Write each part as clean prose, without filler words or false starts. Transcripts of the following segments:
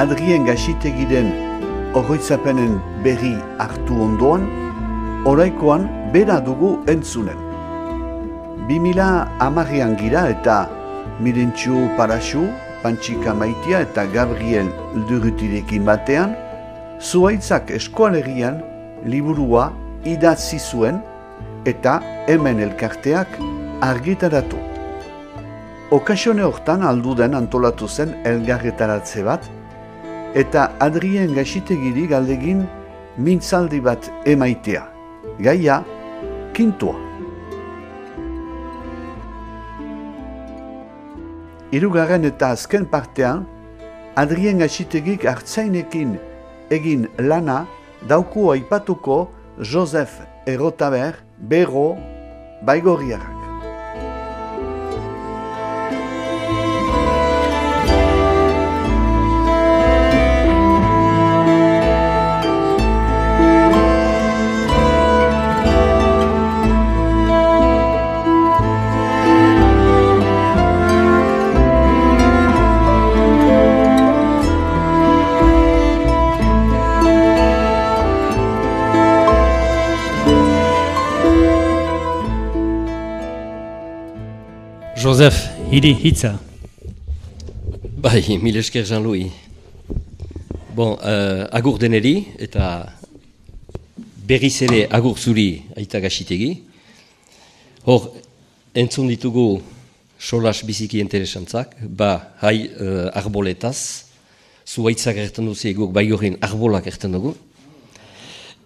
Adrien Gaxitegiren oroitzapenen berri hartu ondoan, oraikoan bera dugu entzunen. 2010an gira eta Mirentxu Paraxu, Pantxika Maitia eta Gabriel Durutirekin batean, Zuhaitzak Eskualegian liburua idatzi zuen eta hemen elkarteak argitaratu. Okasione hortan alduden antolatu zen elgarretaratze bat, eta Adrien Gaxitegiri galdegin mintzaldi bat emaitea. Gaia, kintua. Hirugarren eta azken partean, Adrien Gaxitegik artzainekin egin lana dauku aipatuko Josef Errotaber Berro Baigorriarrak. Josef, hiri hitza. Bai, mil esker Jean-Louis. Bon, agur deneri eta berriz ere agur zuri Aita Gaxitegi. Hor, entzun ditugu solas biziki interesantzak, hai arboletaz, zuhaitzak erten duzi guk Baigorrin arbolak erten dugu.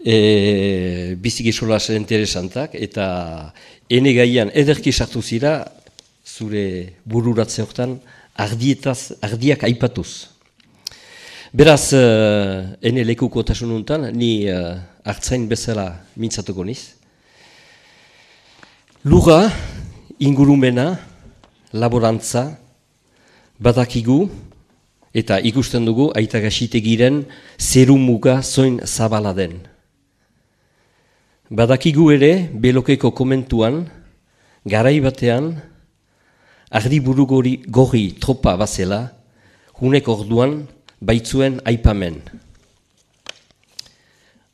Biziki solas interesantak eta ene gaian ederki sartu zira zure bururatze hortan ardiak aipatuz. Beraz, ene lekuko tasununtan, ni hartzain bezala mintzatuko niz. Lura, ingurumena, laborantza, badakigu, eta ikusten dugu Aita Gaxitegiren zerumuga zoin zabala den. Badakigu ere, belokeko komentuan, garai batean, ardi burugori gorri tropa bazela, hunek orduan baitzuen aipamen.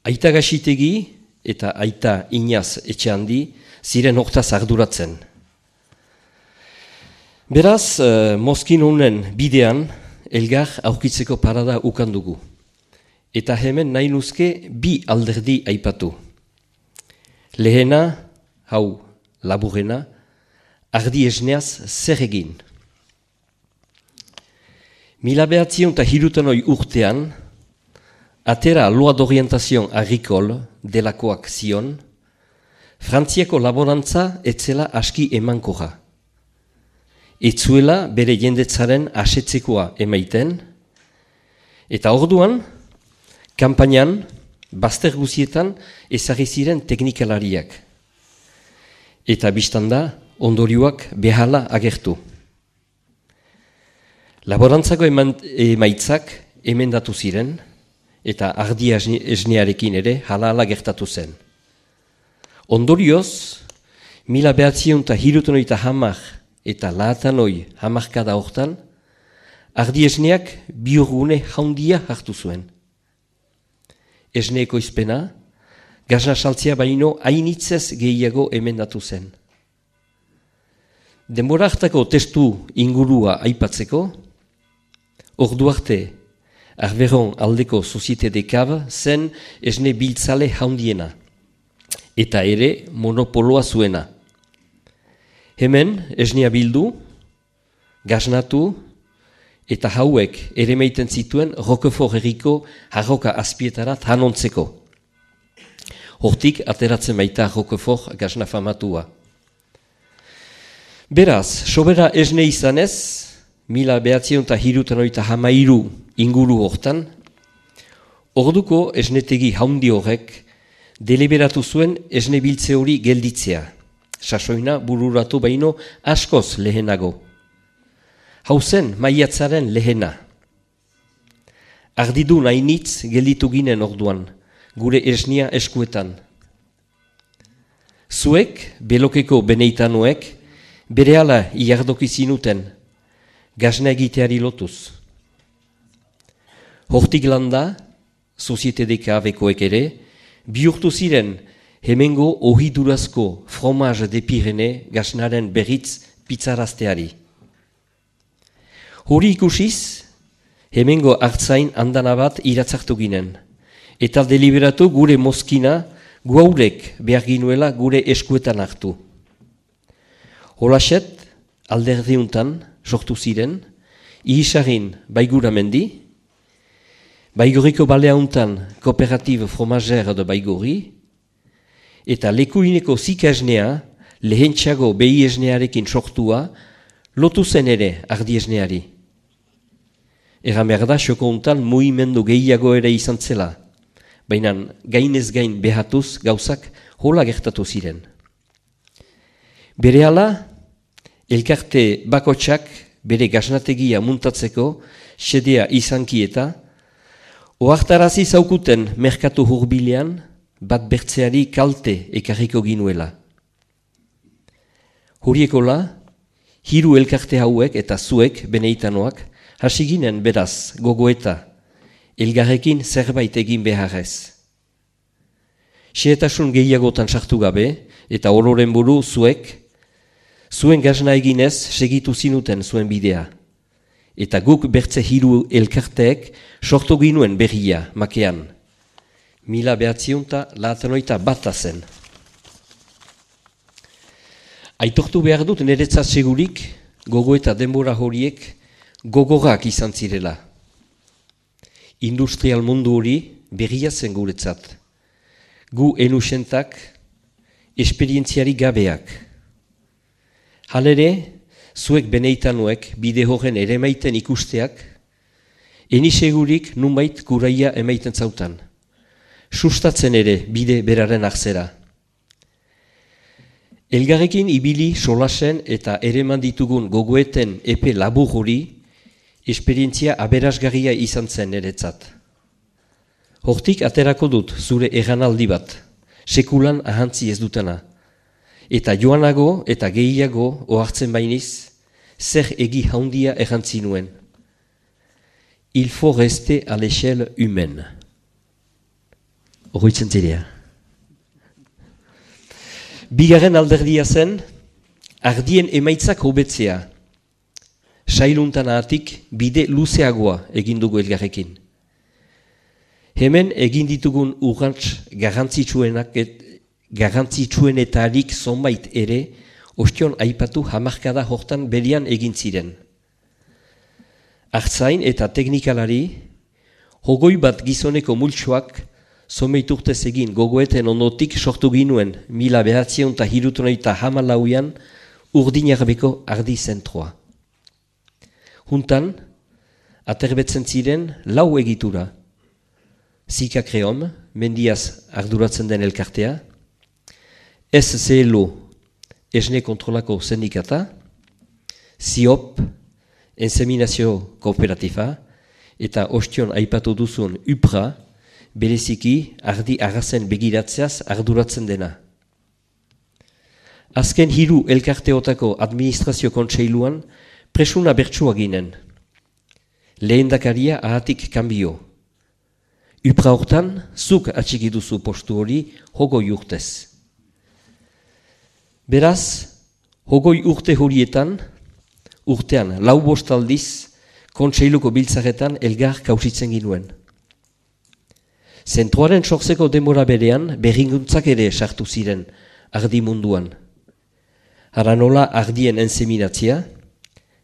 Aita Gaxitegi eta Aita Iñaz Etxeandi ziren hortaz arduratzen. Beraz, mozkin honen bidean, elgar aurkitzeko parada ukandugu. Eta hemen nahi nuzke bi alderdi aipatu. Lehena, hau laburena, ardi esneaz zer egin. 1903 urtean, atera Loi d'Orientation Agricole delakoak zion, Frantziako laborantza etzela aski emankorra. Etzuela bere jendetzaren asetzekoa emaiten, eta orduan, kanpainan, bazter guzietan ezarri ziren teknikalariak. Eta biztanda, ondorioak behala agertu. Laborantzako emaitzak emendatu ziren, eta ardia esnearekin ere hala gertatu zen. Ondorioz, 1930 eta lahatanoi hamarkada hortan, ardi esneak biurgune jaundia hartu zuen. Esneeko izpena, gazna saltzea baino hainitzez gehiago emendatu zen. Denbora hartako testu ingurua aipatzeko, ordu arte Arberon aldeko Societe de Cave zen esne biltzale jaundiena, eta ere monopoloa zuena. Hemen esnea bildu, gaznatu, eta hauek ere meiten zituen Roquefort herriko harroka azpietarat hanontzeko. Hortik ateratzen baita Roquefort gazna famatua. Beraz, sobera esne izanez, 1933 inguru hortan, orduko esnetegi haundi horrek deliberatu zuen esne biltze hori gelditzea, sasoina bururatu baino askoz lehenago. Hau zen maiatzaren lehena. Ardidu nainitz gelditu ginen orduan, gure esnia eskuetan. Zuek, belokeko beneitanoek, berehala iardoki zinuten, gazna egiteari lotuz. Hortik landa, Societe bekoek ere, bihurtu ziren hemengo ohidurazko fromage de Pirene gasnaren berritz pizzarazteari. Hori ikusiz, hemengo hartzain andana bat iratzartu ginen, eta deliberatu gure mozkina guaurek behar ginuela gure eskuetan hartu. Holaset, alderdiuntan sortu ziren, ihisarin baiguramendi, baigoriko baleauntan kooperative fromager de baigori, eta lekuineko zikasnea lehentxago behi esnearekin sortua lotu zen ere ardi esneari. Egan behar da, xoko untan mugimendu gehiago ere izan zela, baina gainez gain behatuz gauzak hola gertatu ziren. Berehala, elkarte bakotsak bere gasnategia muntatzeko xedea izanki eta ohartarazi zaukuten merkatu hurbilean bat bertzeari kalte ekarriko ginuela. Horiekola, hiru elkarte hauek eta zuek beneitanoak hasi ginen beraz gogoeta, elgarrekin zerbait egin beharrez. Xehetasun gehiagotan sartu gabe eta ororen buru zuek, zuen gazna eginez segitu zinuten zuen bidea. Eta guk bertze hiru elkarteek sortu ginuen berria makean. 1991 zen. Aitortu behar dut niretzat segurik gogo eta denbora horiek gogorak izan zirela. Industrial mundu hori berria zen guretzat. Gu enusentak esperientziari gabeak. Halere, zuek beneitanuek bide horren ere maiten ikusteak, eni segurik nunbait guraia emaiten zautan. Sustatzen ere bide beraren arzera. Elgarrekin ibili solasen eta ereman ditugun gogoeten epe labur hori, esperientzia aberasgarria izan zen niretzat. Hortik aterako dut zure eganaldi bat, sekulan ahantzi ez dutana. Eta joanago eta gehiago ohartzen bainiz, zer egi haundia errantzi nuen. Il faut rester à l'échelle humaine. Horroitzen zirea. Bigarren alderdia zen, ardien emaitzak hobetzea. Sailuntan ahatik bide luzeagoa egin dugu elgarrekin. Hemen egin ditugun urrantz garrantzitsuenetarik zonbait ere, ostion aipatu hamarkada hortan berian egin ziren. Artzain eta teknikalari, hogoi bat gizoneko multsoak zomeiturtez egin gogoeten ondotik sortu ginuen 1974 Urdinarbeko ardi zentroa. Juntan, aterbetzen ziren lau egitura. Zika Kreom, mendiaz arduratzen den elkartea, SCLO, esne kontrolako sindikata, SIOP, Inseminazio Kooperatifa, eta ostion aipatu duzun UPRA, bereziki ardi arrazen begiratzeaz arduratzen dena. Azken hiru elkarteotako administrazio kontseiluan presuna bertsua ginen. Lehendakaria ahatik kanbio. UPRA hortan, zuk atxiki duzu postu hori hogoi urtez. Beraz, hogoi urte horietan, urtean lau bost aldiz, kontseiluko biltzaretan elgar kausitzen ginuen. Zentroaren sortzeko denbora berean berringuntzak ere sartu ziren ardi munduan. Haranola ardien enseminatzia,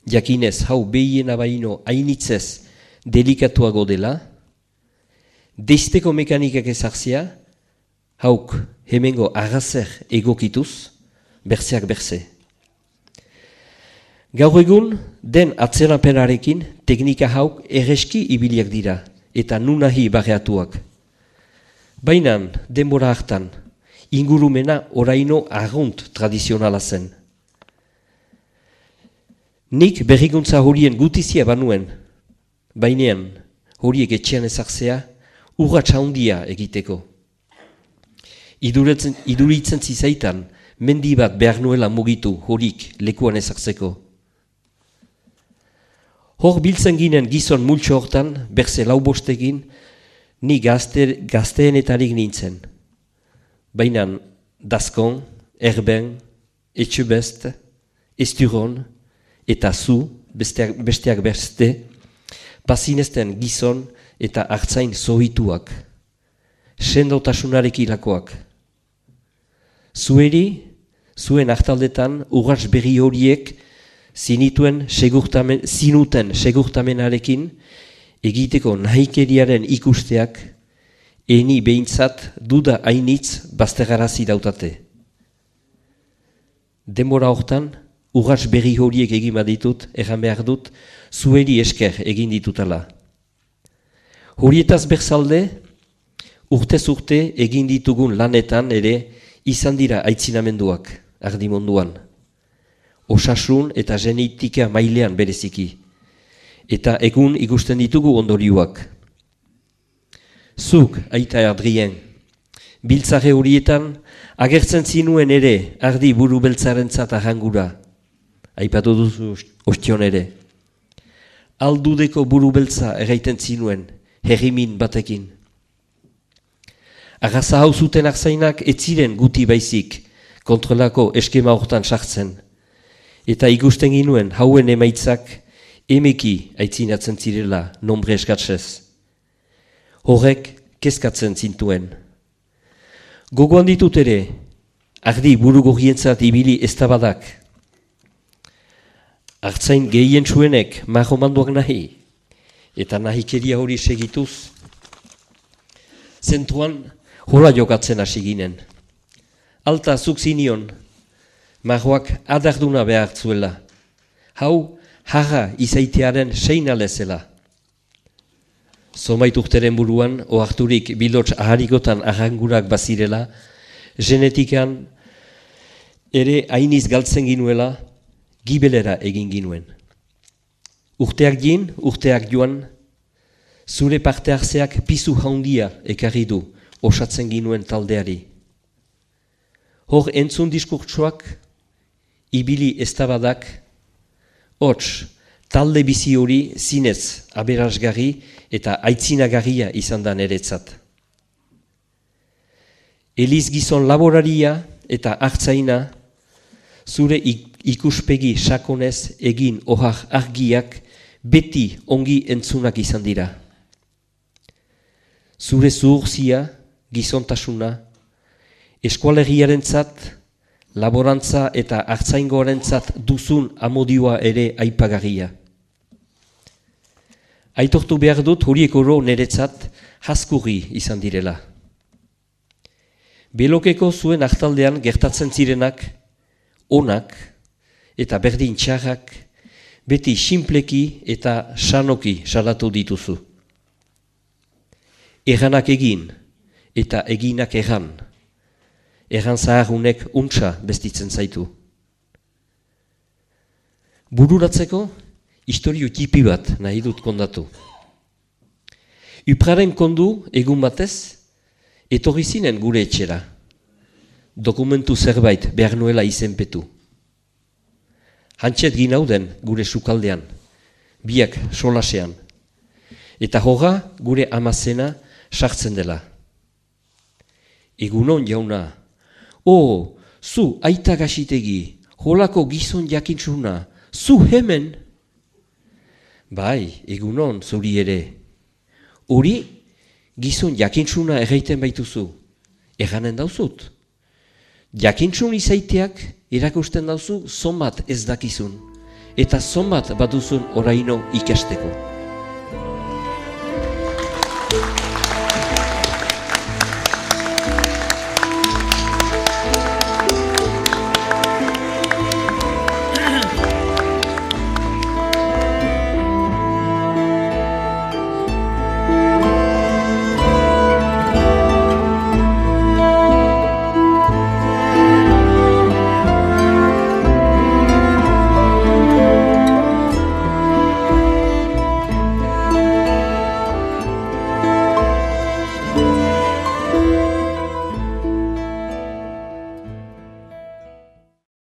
jakinez hau behiena baino hainitzez delikatuago dela, deizteko mekanikak ezartzia, hauk hemengo arrazer egokituz, berzeak berze. Gaur egun, den atzerapenarekin teknika hauk erreski ibiliak dira eta nunahi barreatuak. Baina denbora hartan, ingurumena oraino arrunt tradizionala zen. Nik berrikuntza horien gutizia banuen, bainean horiek etxean ezartzea urratsa handia egiteko. Iduritzen zizaitan, mendi bat behar nuela mugitu horik lekuan ezartzeko. Hor biltzen ginen gizon multxo hortan, berze lau bostegin, ni gazteenetarik nintzen. Baina Dazkon, Erben, Etxebest, Esturon eta zu, besteak beste, pazinezten gizon eta hartzain zohituak, sendotasunarekilakoak. Zueri, zuen hartaldetan urrats berri horiek zinuten segurtamenarekin egiteko nahikeriaren ikusteak eni behintzat duda hainitz bazterarazi dautate. Denbora hortan, urrats berri horiek egin baditut, erran behar dut, zueri esker egin ditutala. Horietaz berzalde, urtez urte egin ditugun lanetan ere izan dira aitzinamenduak, ardi munduan. Osasun eta genetika mailean bereziki. Eta egun ikusten ditugu ondorioak. Zuk, aita Adrien, biltzare horietan agertzen zinuen ere ardi buru beltzarentzat arrangura. Aipatu duzu ostion ere. Aldudeko buru beltza erraiten zinuen, herrimin batekin. Arraza hau zuten arzainak ez ziren guti baizik kontrolako eskema hortan sartzen. Eta ikusten ginuen hauen emaitzak emeki aitzinatzen zirela nombre eskatzez. Horrek kezkatzen zintuen. Gogoan ditut ere, ardi burugorrientzat ibili eztabadak. Artzain gehien zuenek marromanduak nahi, eta nahikeria hori segituz. Zentruan hola jokatzen hasi ginen. Alta zuk zinion, marroak adarduna behar zuela. Hau, jarra izaitearen seina lezela. Zomait urteren buruan, oharturik bilots aharikotan arrangurak bazirela, genetikan ere hainiz galtzen ginuela, gibelera egin ginuen. Urteak jin, urteak joan, zure parte hartzeak pizu handia ekarri du osatzen ginuen taldeari. Hor entzun diskurtsoak, ibili eztabadak, hots, talde bizi hori zinez aberasgarri eta aitzinagarria izan da niretzat. Eliz gizon laboraria eta hartzaina, zure ikuspegi sakonez egin ohar argiak beti ongi entzunak izan dira. Zure zuhurzia, gizontasuna, eskualeriarentzat, laborantza eta hartzaingoarentzat duzun amodioa ere aipagarria. Aitortu behar dut horiek oro niretzat haskurri izan direla. Belokeko zuen hartaldean gertatzen zirenak, onak eta berdin txarrak, beti sinpleki eta sanoki salatu dituzu. Erranak egin eta eginak erran. Erran zaharunek untsa bestitzen zaitu. Bururatzeko, historio tipi bat nahi dut kondatu. Upraren kondu egun batez, etorri zinen gure etxera. Dokumentu zerbait behar nuela izenpetu. Hantxet ginauden gure sukaldean, biak solasean. Eta horra gure amazena sartzen dela. Egunon jauna, zu aita gasitegi, holako gizon jakintzuna, zu hemen? Bai, egunon zuri ere. Hori, gizon jakintzuna erraiten baituzu, erranen dauzut. Jakintzun izaiteak erakusten dauzu zonbat ez dakizun, eta zonbat baduzun oraino ikasteko.